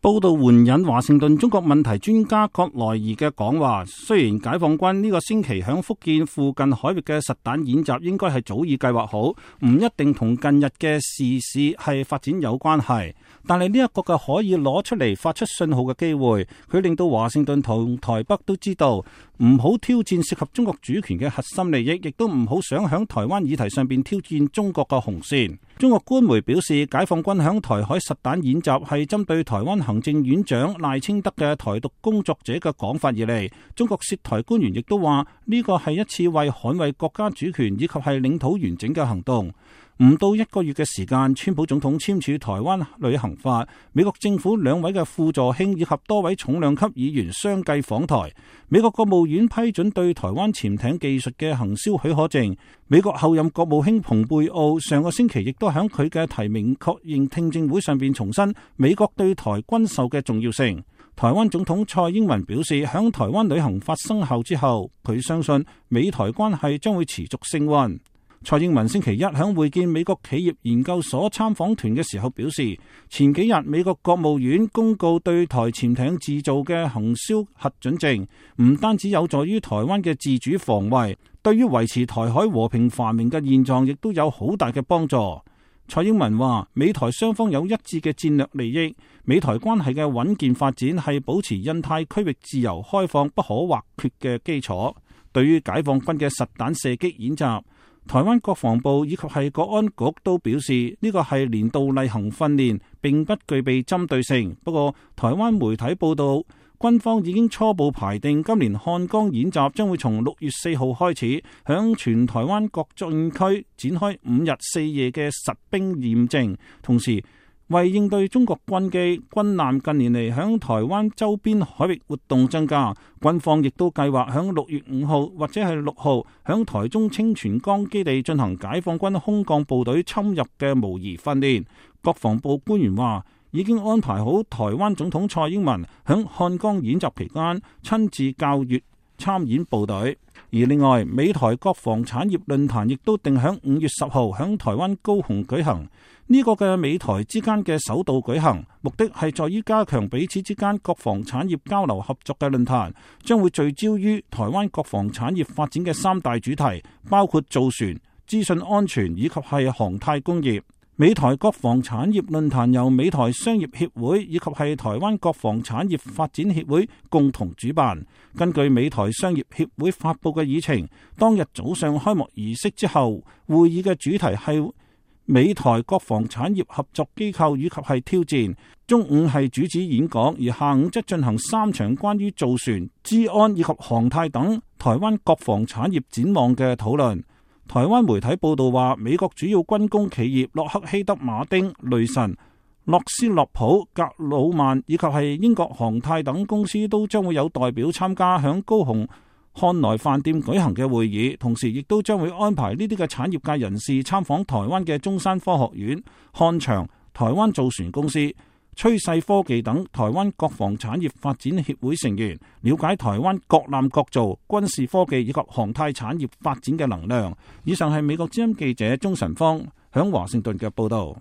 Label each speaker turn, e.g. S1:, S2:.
S1: 報道援引華盛頓中國問題專家葛萊儀嘅講話，雖然解放軍呢個星期響福建附近海域嘅實彈演習應該係早已計劃好，唔一定同近日嘅時事係發展有關係，但係呢一個嘅可以攞出嚟發出信號嘅機會，佢令到華盛頓同台北都知道唔好挑戰涉及中國主權嘅核心利益，亦都唔好想響台灣議題上邊挑戰中國嘅紅線。中國官媒表示，解放軍響台海實彈演習係針對台灣行政院長賴清德嘅台獨工作者嘅講法而嚟。中國涉台官員亦都話呢個係一次為捍衛國家主權以及係領土完整嘅行動。唔到一個月嘅時間，川普總統簽署台灣旅行法，美國政府2位嘅副助卿以及多位重量級議員相繼訪台。美國國務院批准對台灣潛艇技術嘅行銷許可證。美國後任國務卿蓬佩奧上個星期亦都喺佢嘅提名確認聽證會上邊重申美國對台軍售嘅重要性。台灣總統蔡英文表示，響台灣旅行法生效之後，佢相信美台關係將會持續升溫。蔡英文星期一響會見美國企業研究所參訪團嘅時候表示，前幾日美國國務院公告對台潛艇製造嘅行銷核准證，唔單止有助於台灣嘅自主防衛，對於維持台海和平繁榮嘅現狀亦都有好大嘅幫助。蔡英文話，美台雙方有一致嘅戰略利益，美台關係嘅穩健發展係保持印太區域自由開放不可或缺嘅基礎。對於解放軍嘅實彈射擊演習，台灣國防部以及係國安局都表示呢個係年度例行訓練，並不具備針對性。不過台灣媒體報道，軍方已經初步排定今年漢江演習將會從6月4號開始，響全台灣各戰區展開5日4夜嘅實兵驗證，同時為應對中國軍機、軍艦近年嚟響台灣周邊海域活動增加，軍方亦都計劃響6月5號或者係6號響台中清泉崗基地進行解放軍空降部隊侵入嘅模擬訓練。國防部官員話，已經安排好台灣總統蔡英文響漢江演習期間親自教閱參演部隊。而另外，美台國防產業論壇亦都定響5月10號響台灣高雄舉行。呢個嘅美台之間嘅首度舉行，目的係在於加強彼此之間國防產業交流合作嘅論壇，將會聚焦於台灣國防產業發展嘅3大主題，包括造船、資訊安全以及係航太工業。美台國防產業論壇由美台商業協會以及係台灣國防產業發展協會共同主辦。根據美台商業協會發佈嘅議程，當日早上開幕儀式之後，會議嘅主題係美台國防產業合作機構以及係挑戰。中午係主旨演講，而下午則進行3場關於造船、資安以及航太等台灣國防產業展望嘅討論。台灣媒體報道話，美國主要軍工企業洛克希德馬丁、雷神、諾斯洛普、格魯曼以及係英國航太等公司都將會有代表參加響高雄漢來飯店舉行嘅會議，同時亦都將會安排呢啲嘅產業界人士參訪台灣嘅中山科學院、漢翔、台灣造船公司、趨勢科技等台灣國防產業發展協會成員，了解台灣各艦各造、軍事科技以及航太產業發展嘅能量。以上係美國之音記者鍾晨芳響華盛頓嘅報道。